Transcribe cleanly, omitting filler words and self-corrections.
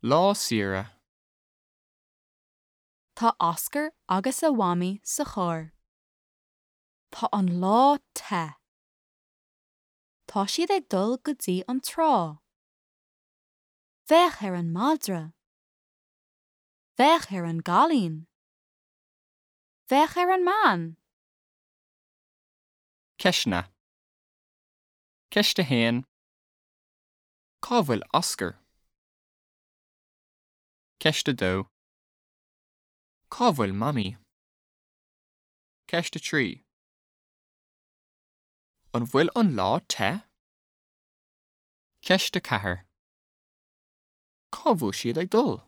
Lá saoire. Tá Oscar agus a Mhamaí sa charr. Tá an lá te. Tá siad ag dul go dtí an trá. Féach ar an madra. Féach ar an gcailín. Féach ar an mbean. Ceisteanna. Ceist 1. Cá bhfuil Oscar? Ceist 2. Cá bhfuil Mamaí? Ceist 3. An bhfuil an lá te? Ceist 4. Cá bhfuil siad ag dul?